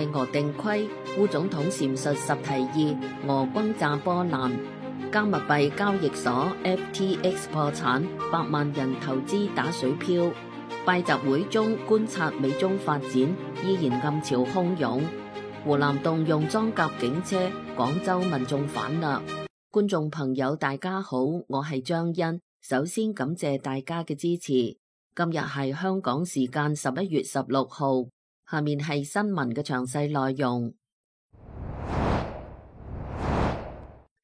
為俄定規，烏總統闡述10提議，俄轟炸波蘭。加密幣交易所 FTX 破產，100萬人投資打水漂。拜習會中觀察美中發展，依然暗潮洶湧。湖南動用裝甲警車，廣州民眾反掠。觀眾朋友大家好，我係張欣，首先感謝大家嘅支持。今日係香港時間11月16號，下面係新聞嘅詳細內容。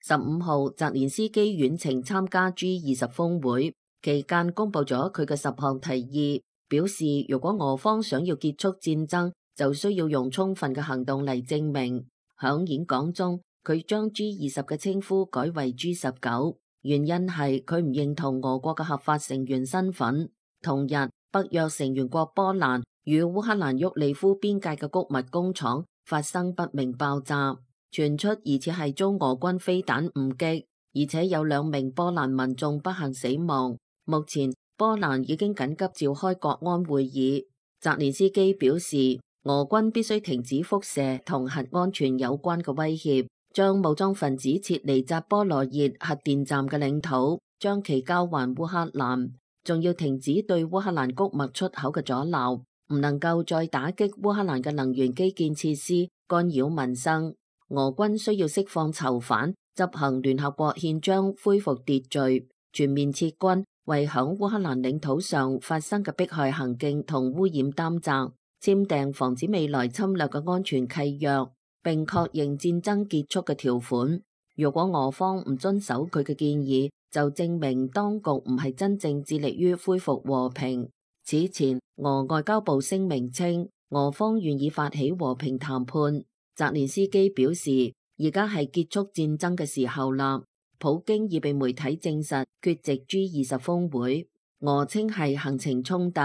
15號，澤連斯基遠程參加 G20 峰會期間，公布咗佢嘅10項提議，表示如果俄方想要結束戰爭，就需要用充分嘅行動嚟證明。響演講中，佢將 G20 嘅稱呼改為 G19，原因係佢唔認同俄國嘅合法成員身份。同日，北約成員國波蘭與烏克蘭沃利夫邊界嘅穀物工廠發生不明爆炸，傳出疑似係遭俄軍飛彈誤擊，而且有2名波蘭民眾不幸死亡。目前，波蘭已經緊急召開國安會議。澤連斯基表示，俄軍必須停止輻射同核安全有關嘅威脅，將武裝分子撤離扎波羅熱核電站嘅領土，將其交還烏克蘭。仲要停止對烏克蘭穀物出口嘅阻撓，唔能夠再打擊烏克蘭嘅能源基建設施，干擾民生。俄軍需要釋放囚犯，執行聯合國憲章，恢復秩序，全面撤軍，為響烏克蘭領土上發生嘅迫害行徑同污染擔責，簽訂防止未來侵略嘅安全契約，並確認戰爭結束嘅條款。如果俄方唔遵守佢嘅建議，就證明當局唔係真正致力於恢復和平。此前，俄外交部聲明稱，俄方願意發起和平談判。澤連斯基表示，而家係結束戰爭嘅時候啦。普京已被媒體證實缺席 G20 峰會，俄稱係行程衝突。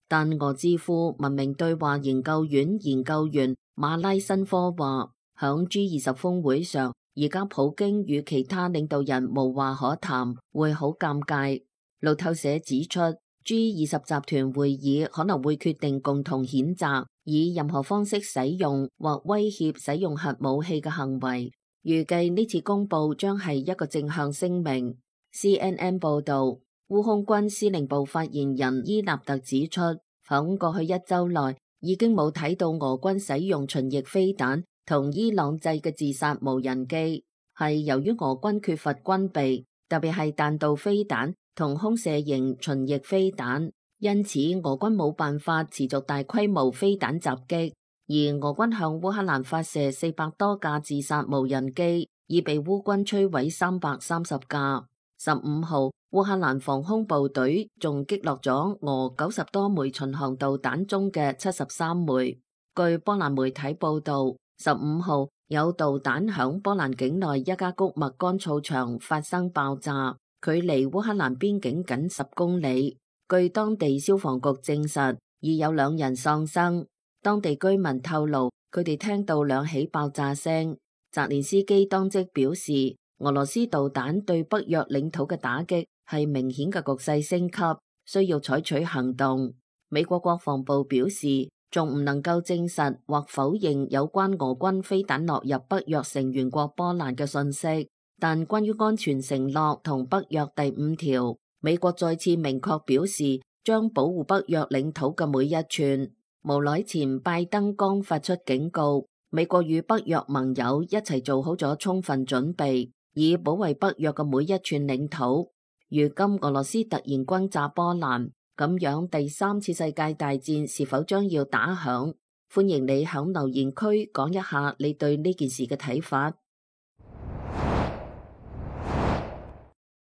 但俄智庫文明對話研究院研究員馬拉申科話，響 G20 峰會上，而家普京與其他領導人無話可談，會好尷尬。路透社指出， G20 集團會議可能會決定共同譴責以任何方式使用或威脅使用核武器嘅行為。預計呢次公佈將係一個正向聲明。CNN 報導，烏空軍司令部發言人伊納特指出，響過去1週內已經冇睇到俄軍使用巡弋飛彈同伊朗製嘅自殺無人機，係由於俄軍缺乏軍備，特別係彈道飛彈同空射型巡弋飛彈，因此俄軍冇辦法持續大規模飛彈襲擊。而俄軍向烏克蘭發射400多架自殺無人機，已被烏軍摧毀330架。15號，烏克蘭防空部隊仲擊落咗俄90多枚巡航導彈中嘅73枚。據波蘭媒體報導，15號有導彈響波蘭境內一家穀物乾燥場發生爆炸，距離烏克蘭邊境僅10公里。據當地消防局證實，已有2人喪生。當地居民透露，佢哋聽到2起爆炸聲。澤連斯基當即表示，俄羅斯導彈對北約領土嘅打擊係明顯嘅局勢升級，需要採取行動。美國國防部表示，仲唔能夠證實或否認有關俄軍飛彈落入北約成員國波蘭嘅信息，但關於安全承諾同北約第5條，美國再次明確表示將保護北約領土嘅每一寸。無耐前，拜登剛發出警告，美國與北約盟友一齊做好咗充分準備，以保衛北約嘅每一寸領土。如今俄羅斯突然轟炸波蘭，咁樣第3次世界大戰是否將要打響？歡迎你響留言區講一下你對呢件事嘅睇法。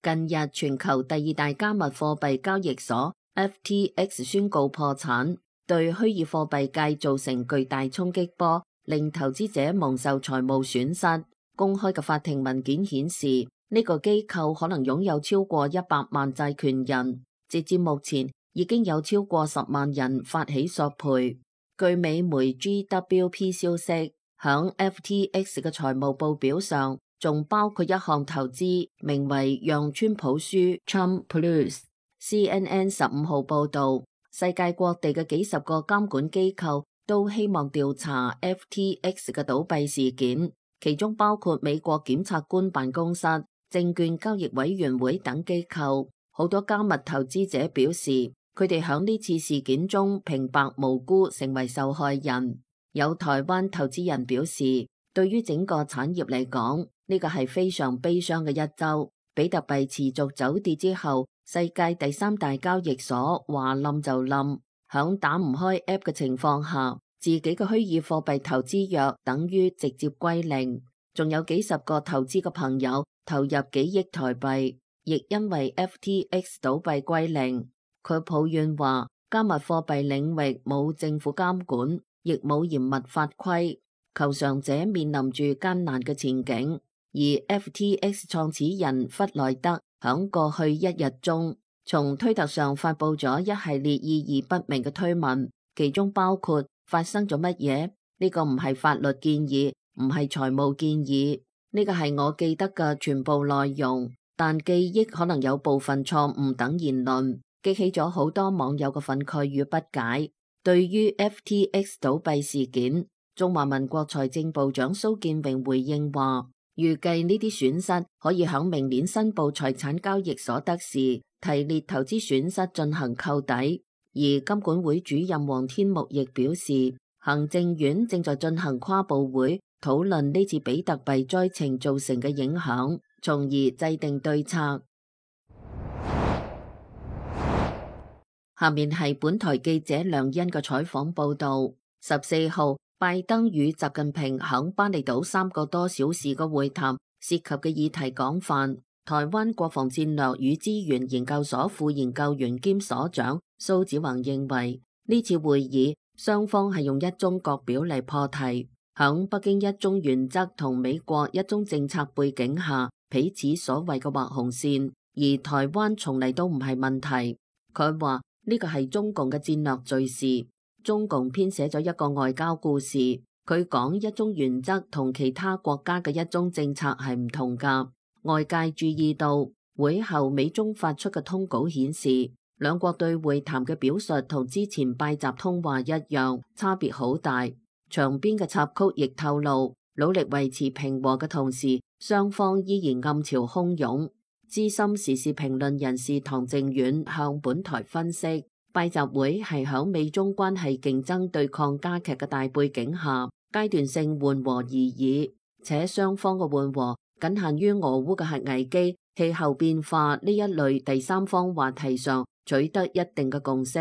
近日，全球第2大加密貨幣交易所 FTX 宣告破產，對虛擬貨幣界造成巨大衝擊波，令投資者蒙受財務損失。公開嘅法庭文件顯示，呢個機構可能擁有超過100萬債權人。截至目前，已經有超過10萬人發起索賠。據美媒 GWP 消息，響 FTX 嘅財務報表上，仲包括一項投資，名為讓川普輸 Trump Plus。CNN 15號報導，世界各地嘅幾十個監管機構都希望調查 FTX 嘅倒閉事件，其中包括美國檢察官辦公室、證券交易委員會等機構。好多加密投資者表示，佢哋響呢次事件中平白無辜成為受害人。有台灣投資人表示，對於整個產業嚟講，呢個係非常悲傷嘅一週。比特幣持續走跌之後，世界第三大交易所話冧就冧。響打唔開 App 嘅情況下，自己嘅虛擬貨幣投資約等於直接歸零。仲有幾十個投資嘅朋友投入幾億台幣，亦因為 FTX 倒閉歸零。佢抱怨話，加密貨幣領域冇政府監管，亦冇嚴密法規，求償者面臨住艱難嘅前景。而 FTX 創始人弗萊德響過去一日中，從推特上發佈咗一系列意義不明嘅推文，其中包括發生咗乜嘢？呢個唔係法律建議，唔係財務建議，呢個係我記得嘅全部內容，但記憶可能有部分錯誤等言論，激起咗好多網友嘅憤慨與不解。對於 FTX 倒閉事件，中華民國財政部長蘇建榮回應話，預計呢啲損失可以響明年申報財產交易所得時提列投資損失進行扣抵。而金管會主任黃天木亦表示，行政院正在進行跨部會討論呢次比特幣災情造成嘅影響，從而制定對策。下面係本台記者梁欣嘅採訪報道。14號，拜登與習近平響巴厘島3個多小時嘅會談，涉及嘅議題廣泛。台灣國防戰略與資源研究所副研究員兼所長蘇子宏認為，呢次會議雙方係用一中各表嚟破題，響北京一中原則同美國一中政策背景下，彼此所謂嘅劃紅線，而台灣從嚟都唔係問題。佢話呢個係中共嘅戰略敘事。中共編寫咗一個外交故事，佢講一中原則同其他國家嘅一中政策係唔同㗎。外界注意到會後美中發出嘅通稿顯示，兩國對會談嘅表述同之前拜習通話一樣，差別好大。場邊嘅插曲亦透露，努力維持平和嘅同時，雙方依然暗潮洶湧。資深時事評論人士唐靖遠向本台分析，拜習會係響美中關係競爭對抗加劇嘅大背景下，階段性緩和而已，且雙方嘅緩和僅限於俄烏嘅核危機、氣候變化呢一類第三方話題上取得一定嘅共識。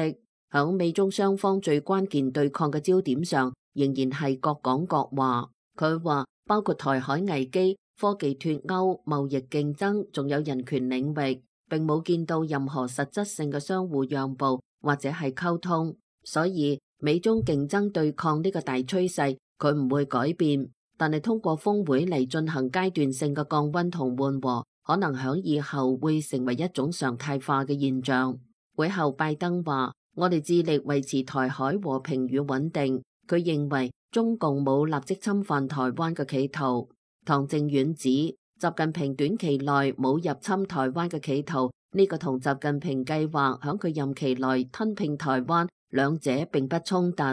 響美中雙方最關鍵對抗嘅焦點上，仍然係各講各話。佢話包括台海危機、科技脫鈎、貿易競爭，仲有人權領域，並冇見到任何實質性嘅相互讓步或者係溝通。所以美中競爭對抗呢個大趨勢，佢唔會改變。但係通過峰會嚟進行階段性嘅降溫同緩和，可能響以後會成為一種常態化嘅現象。會後拜登話，我哋致力維持台海和平與穩定。佢認為中共冇立即侵犯台灣嘅企圖。唐靖遠指，習近平短期內冇入侵台灣嘅企圖，呢個同習近平計劃響佢任期內吞併台灣，兩者並不衝突。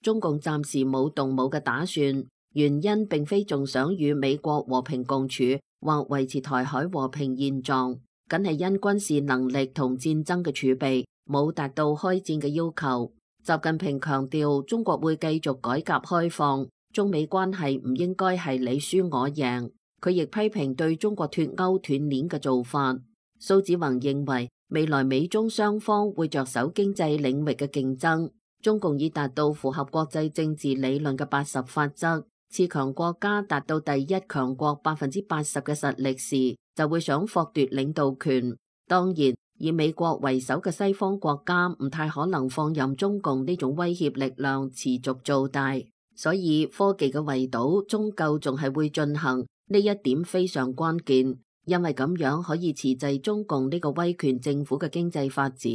中共暫時冇動武嘅打算。原因並非仲想與美國和平共處或維持台海和平現狀，僅係因軍事能力同戰爭嘅儲備冇達到開戰嘅要求。習近平強調，中國會繼續改革開放，中美關係唔應該係你輸我贏。佢亦批評對中國脫鈎斷鏈嘅做法。蘇子宏認為，未來美中雙方會着手經濟領域嘅競爭。中共已達到符合國際政治理論嘅80法則。次強國家達到第一強國80%嘅實力時，就會想剝奪領導權。當然，以美國為首嘅西方國家唔太可能放任中共呢種威脅力量持續做大，所以科技嘅圍堵終究仲係會進行，呢一點非常關鍵，因為咁樣可以遲滯中共呢個威權政府嘅經濟發展，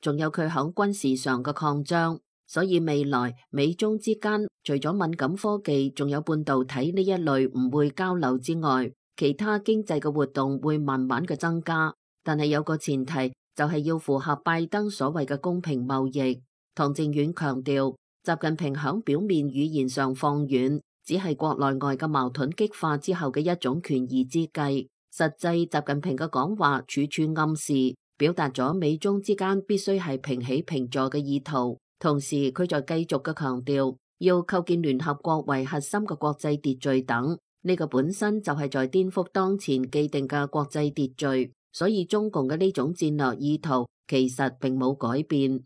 仲有佢響軍事上嘅擴張。所以未來美中之間除咗敏感科技，仲有半導體呢一類唔會交流之外，其他經濟嘅活動會慢慢嘅增加。但係有個前提，就係要符合拜登所謂嘅公平貿易。唐靖遠強調，習近平響表面語言上放軟，只係國內外嘅矛盾激化之後嘅一種權宜之計。實際習近平嘅講話處處暗示，表達咗美中之間必須係平起平坐嘅意圖。同時，佢在繼續嘅強調要構建聯合國為核心嘅國際秩序等。呢個本身就係在顛覆當前既定嘅國際秩序，所以中共嘅呢種戰略意圖其實並冇改變。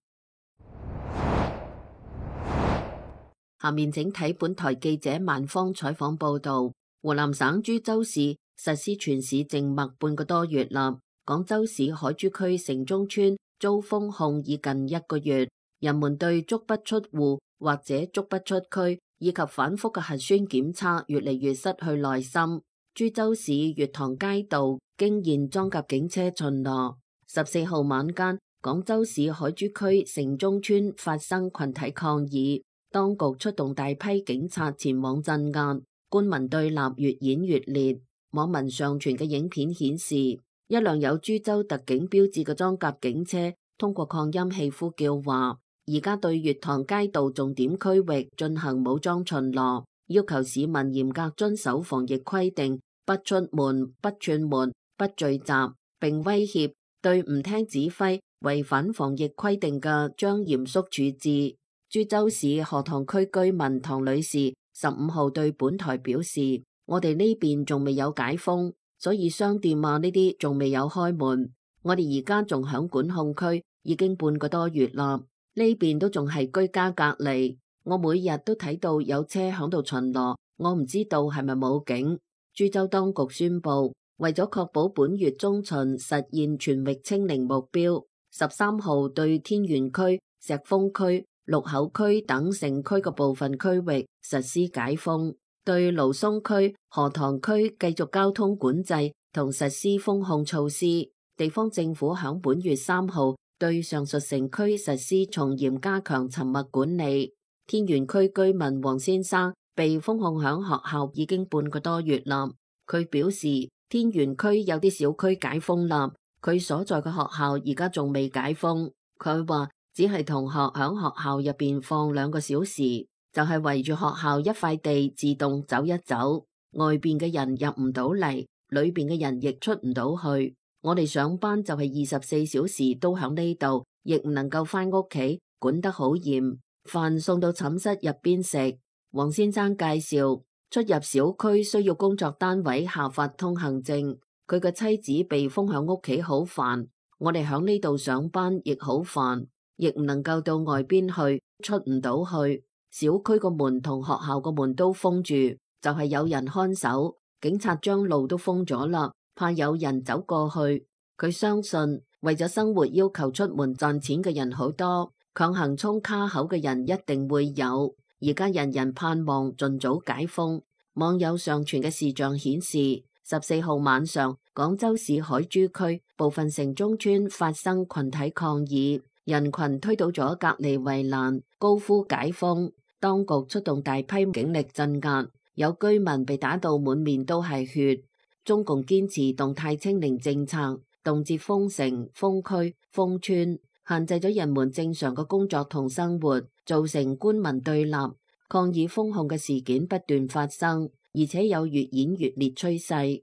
下面請睇本台記者萬方採訪報道。湖南省株洲市實施全市靜默半個多月啦。廣州市海珠區城中村遭封控已近1個月，人們對足不出戶或者足不出區以及反覆嘅核酸檢測越嚟越失去耐心。株洲市月塘街道經現裝甲警車巡邏。14號晚間，廣州市海珠區城中村發生群體抗議，當局出動大批警察前往鎮壓。官民對立越演越烈，網民上傳嘅影片顯示，一輛有株洲特警標誌嘅裝甲警車通過擴音器呼叫話，而家對月塘街道重點區域進行武裝巡邏，要求市民嚴格遵守防疫規定，不出門、不串門、不聚集，並威脅對唔聽指揮、違反防疫規定嘅將嚴肅處置。株洲市河塘區居民唐女士15號對本台表示，我哋呢邊仲未有解封，所以商店啊呢啲仲未有開門。我哋而家仲響管控區，已經半個多月啦，呢邊都仲係居家隔離。我每日都睇到有車響度巡邏，我唔知道係咪武警。株洲當局宣布，為咗確保本月中旬實現全域清零目標，13號對天園區、石峰區、祿口區等城區嘅部分區域實施解封，對蘆松區、河塘區繼續交通管制同實施封控措施。地方政府響本月3號對上述城區實施從嚴加強沉默管理。天園區居民黃先生被封控響學校已經半個多月啦。佢表示，天園區有啲小區解封啦，佢所在嘅學校而家仲未解封。佢話只係同學響學校入邊放2個小時，就係圍住學校一塊地自動走一走，外邊嘅人入唔到嚟，裏邊嘅人亦出唔到去。我哋上班就係24小時都響呢度，亦唔能夠翻屋企，管得好嚴，飯送到寢室入邊食。黃先生介紹，出入小區需要工作單位下發通行證，佢嘅妻子被封響屋企好煩，我哋響呢度上班亦好煩，亦唔能夠到外邊去，出唔到去。小區個門同學校個門都封住，就係有人看守，警察將路都封咗啦，怕有人走過去。佢相信為咗生活要求出門賺錢嘅人好多，強行衝卡口嘅人一定會有。而家人人盼望盡早解封。網友上傳嘅視像顯示，14號晚上廣州市海珠區部分城中村發生群體抗議，人群推倒咗隔離圍欄，高呼解封。當局出動大批警力鎮壓，有居民被打到滿面都係血。中共堅持動態清零政策，動輒封城、封區、封村，限制咗人們正常嘅工作同生活，造成官民對立。抗議封控嘅事件不斷發生，而且有越演越烈趨勢。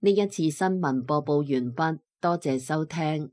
呢一次新聞播報完畢，多謝收聽。